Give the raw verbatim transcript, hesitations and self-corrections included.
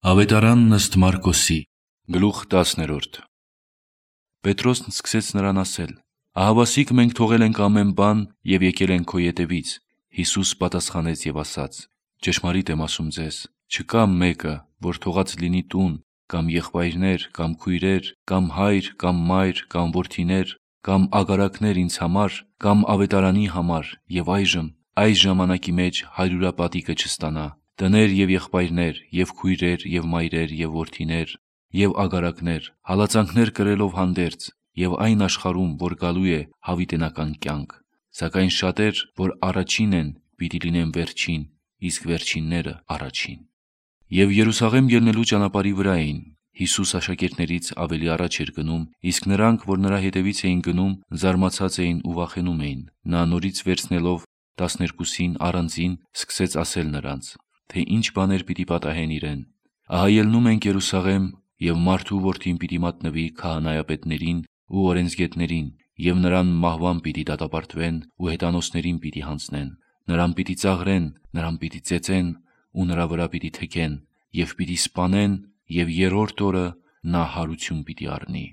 Ավետարանն ըստ Մարկոսի, գլուխ տասներորդ։ Պետրոսն սկսեց նրան ասել. «Ահավասիկ մենք թողել ենք ամեն բան և եկել ենք քո ետևից»։ Հիսուս պատասխանեց և ասաց. «Ճշմարիտ եմ ասում ձեզ, չկա մեկը, որ թողած լինի տուն, կամ եղբայրներ, կամ քույրեր, կամ հայր, կամ մայր, կամ որդիներ, կամ ագարակներ ինձ համար, կամ ավետարանի համար, և այժմ այս ժամանակի մեջ հարյուրապատիկը չստանա, տներ և եղբայրներ, և քույրեր, և մայրեր, և որդիներ, և ագարակներ, հալածանքներ կրելով հանդերձ, և այն աշխարհում, որ գալու է, հավիտենական կյանք, սակայն շատեր, որ առաջին են, պիտի լինեն վերջին, իսկ վերջինները՝ առաջին»։ Եվ Երուսաղեմ ելնելու ճանապարհի վրա էին։ Հիսուս աշակերտներից ավելի առաջ էր գնում, իսկ նրանք, որ նրա հետևից էին գնում, զարմացած էին ու վախենում էին։ Նա նորից վերցնելով տասներկուսին առանձին, սկսեց ասել նրանց, թե ինչ բաներ պիտի պատահեն իրեն. «Ահա ելնում ենք Երուսաղեմ, և մարդու Որդին պիտի մատնվի քահանայապետերին ու օրենսգետներին, և նրան մահվան պիտի դատապարտվեն ու հեթանոսներին պիտի հանձնեն. նրան պիտի ծաղրեն, նրան պիտի ծեծեն ու նրա վրա պիտի թեքեն, և պիտի սպանեն, և երրորդ օրը նա հարություն պիտի առնի»։